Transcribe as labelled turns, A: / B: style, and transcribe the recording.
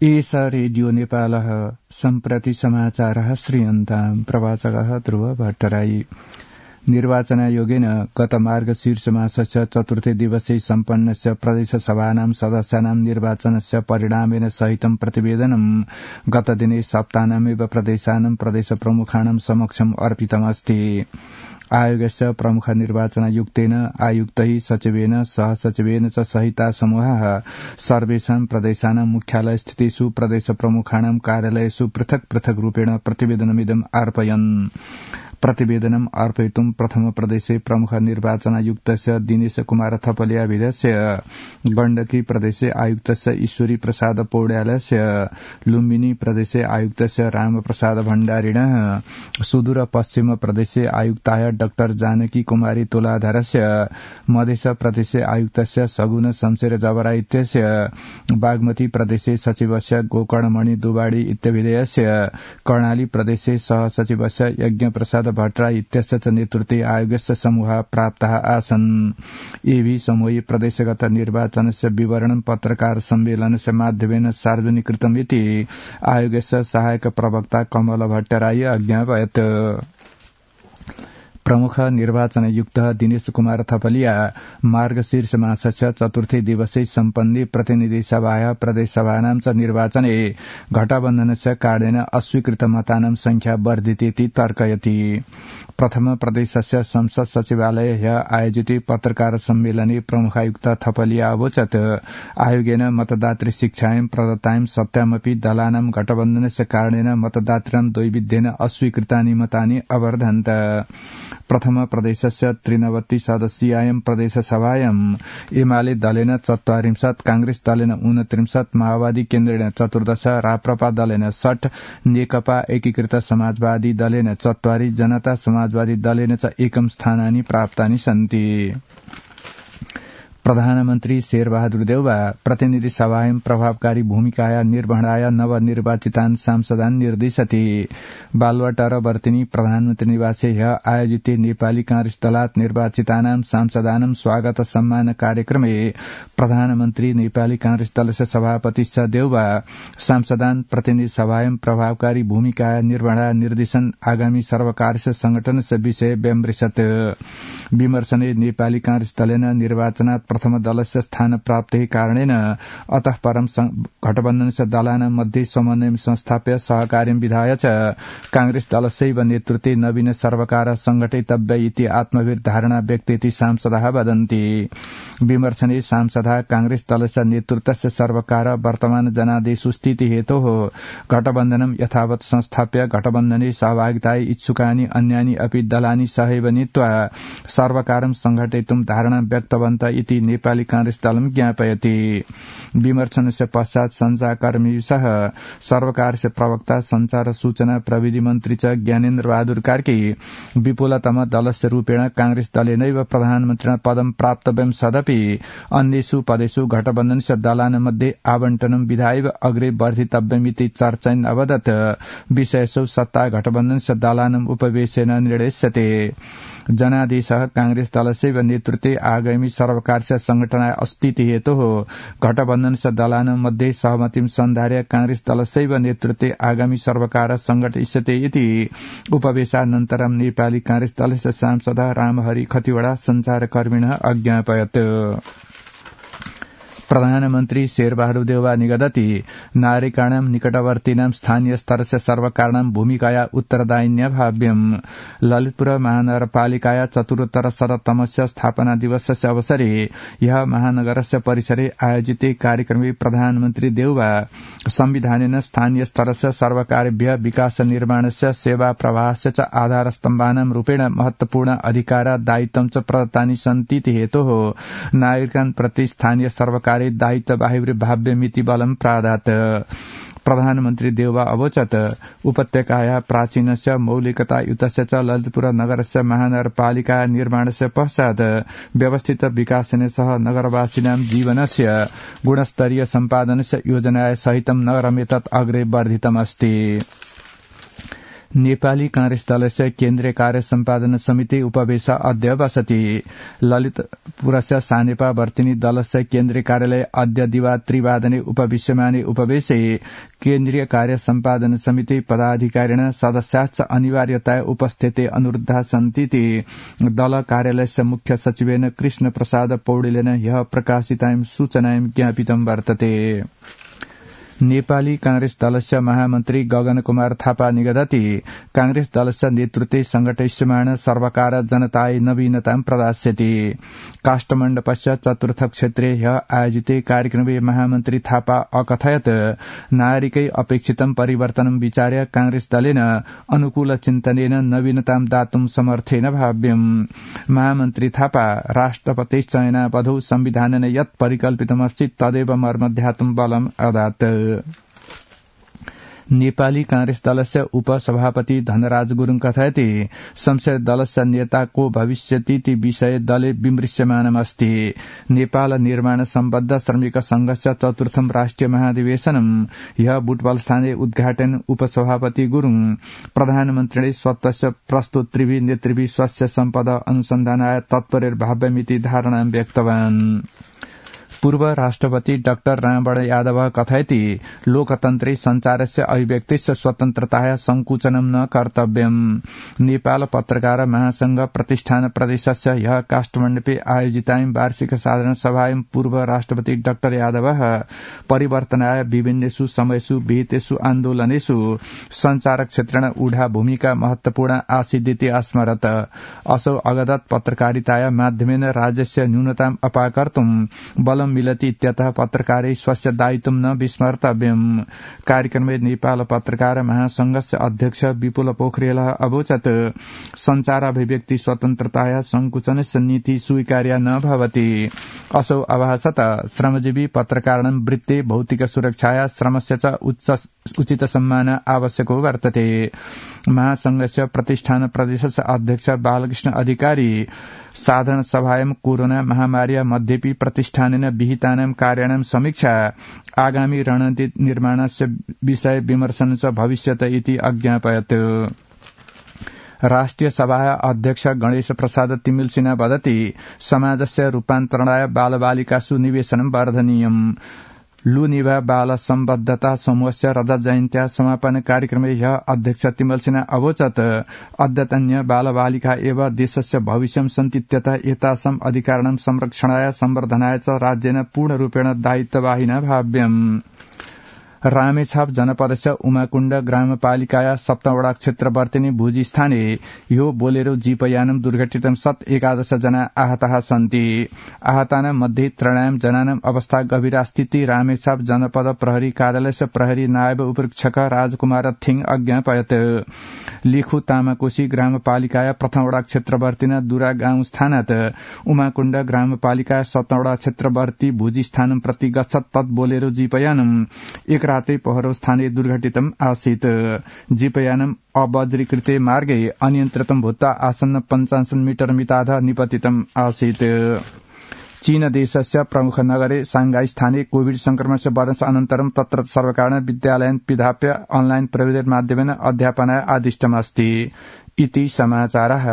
A: एष रेडियो नेपालः सम्प्रति समाचारः श्रूयन्ताम् प्रवाचकः ध्रुव भट्टराई। निर्वाचनायोगेन गत मार्गशीर्षमासस्य चतुर्थे दिवसे सम्पन्नस्य प्रदेशसभानां सदस्यानां निर्वाचनस्य परिणामेन सहितं प्रतिवेदनं गतदिने सप्ताहमेव प्रदेशानां प्रदेशप्रमुखाणां समक्षम् अर्पितमस्ति। आयोगस्य प्रमुख निर्वाचनायुक्तेन आयुक्तैः सचिवेन सहसचिवेन च सहिता समूहः सर्वेषां प्रदेशानां मुख्यालय स्थितेषु प्रदेशप्रमुखाणां कार्यालयेषु पृथक् पृथक् रूपेण प्रतिवेदनमिदम् अर्पयन्। प्रतिवेदनम् अर्पयितुं प्रथम प्रदेशे प्रमुख निर्वाचनायुक्तस्य दिनेश कुमार थपलियाभिधस्य, गण्डकी प्रदेशे आयुक्तस्य ईश्वरी प्रसाद पौड्यालस्य, लुम्बिनी प्रदेशे आयुक्तस्य रामप्रसाद भण्डारिणः, सुदूर पश्चिम प्रदेशे आयुक्ताय डाक्टर जानकी कुमारी तुलाधरस्य, मध्य प्रदेशे आयुक्तस्य सगुन शमशेर जबरा इत्यस्य, बागमती प्रदेशे सचिवस्य गोकर्णमणि दुवाडी इत्यभिधेयस्य, कर्णाली प्रदेशे सहसचिवस्य यज्ञ प्रसाद भट्टराई इत्यस्य च नेतृत्वे आयोगस्य समूह प्राप्ताः आसन्। एवि समूहे प्रदेशगत निर्वाचनस्य विवरणं पत्रकार सम्मेलनस्य माध्यमेन सार्वजनिकृतमिति आयोगस्य सहायक प्रवक्ता कमल भट्टराई अज्ञापयत्। प्रमुख निर्वाचनयुक्तः दिनेश कुमार थपलिया मार्गशीर्ष मासस्य चतुर्थे दिवसे सम्पन्ने प्रतिनिधिसभाया प्रदेशसभानां च निर्वाचने घटबन्धनस्य कारणेन अस्वीकृत मतानां संख्या वर्धितेति तर्कयति। प्रथम प्रदेशस्य संसद सचिवालये ह्य आयोजिते पत्रकार सम्मेलने प्रमुखायुक्त थपलिया अवोचत् आयोगेन मतदातृ शिक्षायां प्रदत्तायां सत्यामपि दलानां घटबन्धनस्य कारणेन मतदातॄणां द्वैविध्येन अस्वीकृतानि मतानि अवर्धन्त। प्रथम प्रदेशस्य 93 सदस्यीयां प्रदेशसभायां एमाले दलेन 44, कांग्रेस दलेन 29, माओवादी केन्द्रेण 14, राप्रपा दलेन 60, नेकपा एकीकृत समाजवादी दलेन 44, जनता समाजवादी दलेन च एकम स्थानानि प्राप्तानि सन्ति। प्रधानमन्त्री शेरबहादुर देउवा प्रतिनिधि सभायां प्रभावकारी भूमिकाया निर्वहणाय नवनिर्वाचितान् सांसदान् निर्दिशति। बालुवाटार वर्तिनी प्रधानमन्त्री निवासे ह्य आयोजिते नेपाली कांग्रेस दलात् निर्वाचितानां सांसदानां स्वागत सम्मान कार्यक्रमे प्रधानमन्त्री नेपाली कांग्रेस दलस्य सभापति स देउवा सांसदान् प्रतिनिधि सभायां प्रभावकारी भूमिकाया निर्वहणाय निर्देशन आगामी सर्वकारस्य संगठनस्य विषय व्यमृशत्। विमर्शने नेपाली कांग्रेस दलेन निर्वाचनात् प्रथम दलस्य स्थान प्राप्तेः कारणेन अतः परं घटबन्धनस्य दलानां मध्ये समन्वयं संस्थाप्य सहकार्यं विधाय च कांग्रेस दलस्यैव नेतृत्वे नवीन सर्वकार संघटितव्य इति आत्मविर्धारणा व्यक्तेति सांसदाः वदन्ति। विमर्शने सांसदाः कांग्रेस दलस्य नेतृत्वस्य सर्वकार वर्तमान जनादेशु स्थिति हेतोः घटबन्धनं यथावत् संस्थाप्य घटबन्धने सहभागिताय इच्छुकानि अन्यानि अपि दलानि सहैव नीत्वा सर्वकारं संघटितुं धारणा व्यक्तवन्त इति नेपाली कांग्रेस दलं ज्ञापयति। विमर्शनस्य पश्चात् संचारकर्मीसह सर्वकारस्य प्रवक्ता संचार सूचना प्रविधि मन्त्री च ज्ञानेन्द्र बहादुर कार्की विपुलतम दलस्य रूपेण कांग्रेस दलेनैव प्रधानमन्त्रिणा पदं प्राप्तव्यं सदपि अन्येषु पदेषु घटबन्धनस्य दलानां मध्ये आवण्टनं विधायैव अग्रे वर्धितव्यमिति चर्चयन् अवदत् विषयसु सत्ता घटबन्धनस्य दलानां उपवेशेन निर्णेष्यते। जनादेशः कांग्रेस दलस्यैव नेतृत्वे आगामी सर्वकारस्य संघटनाय अस्तिति हेतोः घटबन्धनस्य दलानां मध्ये सहमतिं सन्धार्य कांग्रेस दलस्यैव नेतृत्वे आगामी सर्वकार संघटिष्यते इति उपवेशानन्तरं नेपाली कांग्रेस दलस्य सांसदः रामहरि खतिवड़ा संचारकर्मिणः अज्ञापयत्। प्रधानमन्त्री शेरबहादुर देउवा निगदति नागरिकाणां निकटवर्तीनां स्थानीय स्तरस्य सर्वकाराणां भूमिकाया उत्तरदायिन्या भाव्यम्। ललितपुर महानगरपालिकाया चतुरोत्तरशततमस्य स्थापना दिवसस्य अवसरे ह्यः महानगरस्य परिसरे आयोजिते कार्यक्रमे प्रधानमन्त्री देउवा संविधानेन स्थानीय स्तरस्य सर्वकारेभ्यः विकास निर्माणस्य सेवा प्रवाहस्य च आधारस्तम्भानां रूपेण महत्वपूर्ण अधिकार दायित्वं च प्रदत्तानि सन्तीति हेतोः नागरिकान् प्रति स्थानीय सर्वकार दायित्व भाव्यमिति बलं प्रादात्। प्रधानमन्त्री देउवा अवोचत् उपत्यकायाः प्राचीनस्य मौलिकतायुतस्य च ललितपुर नगरस्य महानगरपालिका निर्माणस्य पश्चात् व्यवस्थित विकासेन सह नगरवासिनां जीवनस्य गुणस्तरीय सम्पादनस्य योजनाया सहितं नगरमेतत् अग्रे वर्धितमस्ति। नेपाली कांग्रेस दलस्य केन्द्रीय कार्य सम्पादन समिति उपवेश अद्य बसति ललितपुरस्य सानेपा वर्तिनी दलस्य केन्द्रीय कार्यालय अद्य दिवा त्रिवादने उपविश्यमाने उपवेशे केन्द्रीय कार्य सम्पादन समिति पदाधिकारिण सदस्याश्च अनिवार्यताय उपस्थिते अनुरुद्धा सन्तीति दल कार्यालयस्य मुख्य सचिवेन कृष्ण प्रसाद पौडेलेन ह्यः प्रकाशितां सूचनां ज्ञापितं वर्तते। नेपाली कांग्रेस दलस्य महामन्त्री गगन कुमार थापा निगदति कांग्रेस दलस्य नेतृत्वे संघटिष्यमाण सर्वकार जनताय नवीनतां प्रदास्यति। काष्ठमण्डपस्य चतुर्थ क्षेत्रे ह्यः आयोजिते कार्यक्रमे महामन्त्री थापा अकथयत् नागरिकै अपेक्षितं परिवर्तनं विचार्य कांग्रेस दलेन अनुकूल चिन्तनेन नवीनतां दातुं समर्थेन भाव्यम्। महामन्त्री थापा राष्ट्रपतिश्चयनावधौ संविधानेन यत् परिकल्पितमस्ति तदेव मर्मध्यातुं बलम् अदात्। नेपाली कांग्रेस दलस्य उपसभापति धनराज गुरुङ कथयति संसदीय दलस्य नेता को भविष्यति विषय दले विमृश्यमानमस्ति। नेपाल निर्माण सम्बद्ध श्रमिक संघस्य चतुर्थम राष्ट्रिय महाधिवेशनम ह्यः बुटवलस्थाने उद्घाटन उपसभापति गुरुङ प्रधानमन्त्रीले स्वतस्य प्रस्तुत त्रिभि नेतृभि स्वस्य सम्पद अनुसन्धानाय तत्परभाव्यमिति धारणा व्यक्तवान्। पूर्व राष्ट्रपति डाक्टर रामवरण यादव कथयति लोकतन्त्रे संचारस्य अभिव्यक्तिस्य स्वतन्त्रताया संकुचनं न कर्तव्यम्। नेपाल पत्रकार महासंघ प्रतिष्ठान प्रदेशस्य ह्यः काष्ठमण्डपे आयोजितां वार्षिक साधारण सभायां पूर्व राष्ट्रपति डाक्टर यादव परिवर्तनाय विभिन्नेषु समयेषु विहितेषु आन्दोलनेषु संचार क्षेत्रेण ऊढा भूमिका महत्वपूर्ण आसीदिति अस्मरत्। असौ अगदत् पत्रकारिताया माध्यमेन राज्यस्य न्यूनताम् अपाकर्तुं बलं मिलति इत्यतः पत्रकारै स्वस्य दायित्वं न विस्मर्तव्यम्। कार्यक्रमे नेपाल पत्रकार महासंघस्य अध्यक्ष विपुल पोखरेलः अवोचत् संचाराभिव्यक्ति स्वतन्त्रताया संकुचनस्य नीति स्वीकार्या न भवति। असौ अभासत श्रमजीवी पत्रकाराणां वृत्ते भौतिक सुरक्षाया श्रमस्य च उचित सम्मान आवश्यको वर्तते। महासंघस्य प्रतिष्ठान प्रदेशस्य अध्यक्ष बालकृष्ण अधिकारी साधारण सभायां कोरोना महामार्या मध्येपि प्रतिष्ठानेन विहितानां कार्याणां समीक्षा आगामी रणनीति निर्माणस्य विषय विमर्शन च भविष्यत इति अज्ञापयत्। राष्ट्रिय सभाया अध्यक्ष गणेश प्रसाद तिमिलसिन्हा वदति समाजस्य रूपान्तरणाय बालबालिकासु निवेशनं वर्धनीयम्। लुनिभा बाल सम्बद्धता समूहस्य रजत जयन्त्या समापन कार्यक्रमे ह्यः अध्यक्ष तिमलसिन्हा अवोचत् अद्यतन्य बालबालिका एव देशस्य भविष्यं सन्तीत्यतः एतासाम् अधिकाराणां संरक्षणाय संवर्धनाय च राज्येन पूर्णरूपेण दायित्ववाहिना भाव्यम्। रामेछाप जनपदस्य उमाकुण्ड ग्रामपालिकाया सप्तवटा क्षेत्रवर्तिनी भुजी स्थाने यो बोलेरो जीपयानं दुर्घटितं सत् 11 जना आहताः सन्ति। आहतानां मध्ये 3 जनानां अवस्था गभीरास्तीति रामेछाप जनपद प्रहरी कार्यालयस्य प्रहरी नायब उपरीक्षक राजकुमार थिङ अज्ञापयत्। लिखु तामाकोशी ग्रामपालिकाया प्रथमवटा क्षेत्रवर्तिना दुरा गाउँ स्थानात् उमाकुण्ड ग्रामपालिकाया सप्तवटा क्षेत्रवर्ती भुजी स्थानं प्रति गच्छत् तत् बोलेरो जीपयानं एक राते पहरो स्थाने दुर्घटितम् आसीत्। जीपयानम् अवज्रीकृते मार्गे अनियन्त्रितं भूत्वा आसन्न 55 मीटर मिताध निपतितम् आसीत्। चीन देशस्य प्रमुख नगरे सांघाई स्थाने कोविड संक्रमणस्य वर्ष अनन्तरं तत्र सर्वकारेण विद्यालयन् पिधाप्य ऑनलाइन प्रविधेर् माध्यमेन अध्यापनाय आदिष्टमस्ति इति समाचारः।